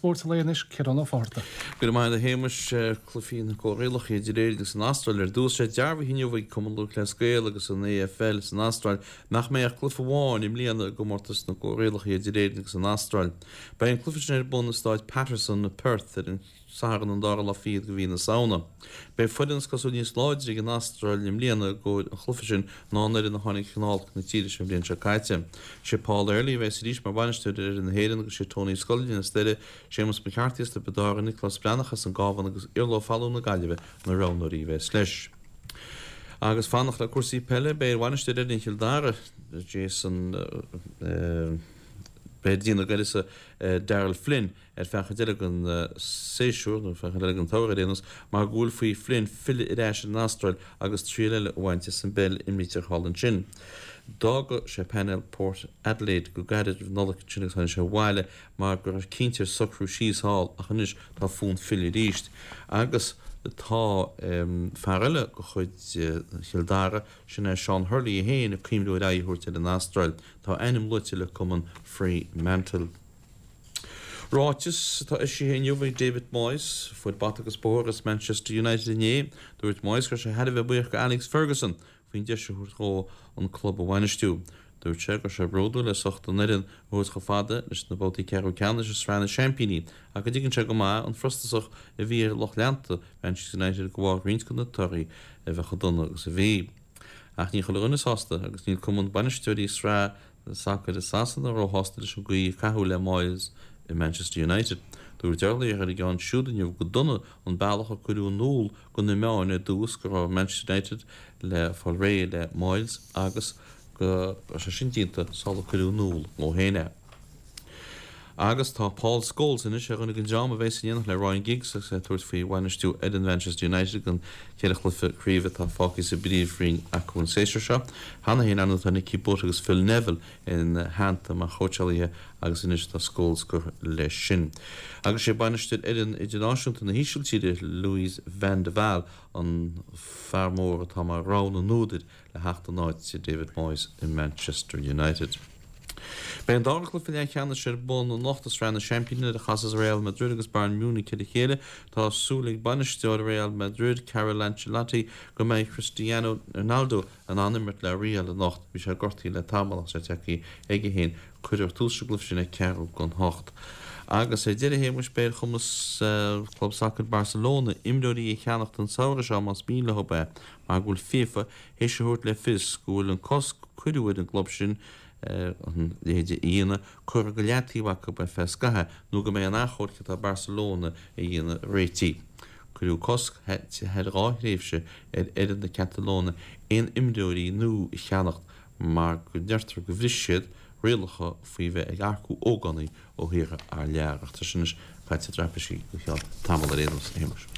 Spóirt an lae anois, Ciarán Ó Fátharta. Go raibh maith agat a Shéamais. Cluichí na gcomhrialacha idir Éirinn agus an Astráil ar dtús. Tá sé dearbhaithe inniu ag Cumann Lúthchleas Gael agus an AFL san Astráil nach mbeidh ach cluiche amháin i mbliana i gcomórtas na gcomhrialacha idir Éirinn agus an Astráil. Beidh an cluiche sin ar bun i Stáid Paterson i Perth ar an Satharn an dara lá fichead de mhí na Samhna. Beidh foireann is cosúil níos láidre ag an Astráil i mbliana i gcomhair an chluiche sin ná an fhoireann a tháinig chun olc na tíre seo an bhliain seo caite. Sé Paul Earley a bheas arís mar bhainisteoir ar fhoireann na hÉireann agus sé Tony Scullion as Doire, Séamus McCarthy as Tiobraid Árann, Nioclás Breathnach as an gCábhán agus Iarla Ó Fathlúin na Gaillimhe na roghnóirí a bheas leis. Agus fanacht le cúrsaí peile, beidh ar bhainisteoir fhoireann Chill Dara, Jason, beidh déanamh uireasa Darrell Flynn, ar feadh chuid eile den séasúr, nó feadh chuid eile den tsamhradh ar aon nós, mar go bhfuil faoi Flynn filleadh ar ais ar an Astráil agus triail eile a bhaint as an bpeil a imrítear thall ansin. D'fhága sé painéal Port Adelaide go gairid roimh Nollaig ansin agus tháinig sé abhaile mar go raibh cinnte air socrú síos thall ach anois tá fonn filleadh arís. Agus tá fear eile de chuid Chill Dara, sin é Seán Hurley é féin, ag cuimhniú ar aghaidh a thabhairt ar an Astráil. Tá a ainm luaite le cumann Fremantle. Ráiteas atá eisithe inniu ag David Moyes, a fuair bata agus bóthar as Manchester United inné. Dúirt Moyes go raibh sé thar a bheith buíoch go Alex Ferguson faoin deis a thabhairt dhó an club a bhainistiú. Dúirt sé go raibh sé bródúil as ucht an fhoireann a thabhairt chomh fada leis na babhtaí ceathrú ceannais i Sraith na Seaimpíní ach go dtuigeann sé go maith an frustrachas a bhí ar lucht leanta Manchester United de bharr roinnt de na torthaí a bheith chomh dona agus a bhí. Ach níl chuile dhuine sásta agus níl cumann bainisteoirí Sraith Sacair i Sasana róshásta leis an gcaoi a caitheadh le Moyes i Manchester United. Dúirt urlabhraí ar an gceann siúd inniu gur dona an bealach a cuireadh in iúl do na meáin ar dtús go raibh Manchester United le fáil réidh le Moyes agus go raibh sé sin déanta sular cuireadh in iúl dhó féin é. Agus tá Paul Scholes anois ar dhuine den dream a bheas in éineacht le Ryan Giggs agus é ag tabhairt faoi bhainistiú fhoireann Manchester United don cheithre chluiche craoibhe atá fágtha sa bPríomhroinn acu an séasúr seo. Cheana féin, ar ndóigh, tá Nicky Butt agus Phil Neville ina theannta mar chóitseálaithe agus anois tá Scholes curtha leis sin. Agus sé bainisteoir fhoireann idirnáisiúnta na hÍsiltíre, Louis van de Waal, an fear mór atá mar rogha na n-údar le theacht in áit David Moyes i Manchester United. Beidh an dara cluiche leathcheannais ar bun anocht i Sraith na Seaimpíní nuair a chasas Real Madrid agus Bayern Munich ar a chéile. Tá súil ag bainisteoir Real Madrid, Carlo Ancelotti, go mbeidh Cristiano Ronaldo in ann imirt le Real anocht. Bhí sé gortaithe le tamall ach tá sé tagtha aige féin. Cuirfear tús leis an gcluiche sin ag ceathrú don hocht. Agus ar deireadh, a Shéamuis, beidh ar chumas Chlub Sacair Barcelona imreoirí a cheannacht an samhradh seo más mian leo é. mar go bhfuil FIFA théis a thabhairt le fios go bhfuil an cosc a cuireadh ar an gclub sin a leithéid a dhéanamh curtha go leataobh acu ar feadh scaithimh nó go mbeidh an achomharc atá Barcelona a dhéanamh réitithe. Cuireadh cosc thar dha thréimhse ar fhoireann na Catalóine aon imreoirí nua a cheannacht mar go ndeirtear go bhris siad rialacha faoi bheith ag earcú ógánaigh ó thíortha thar lear. Ach tá sin anois caite i dtraipisí go ceann tamaill ar aon nós, a Shéamais.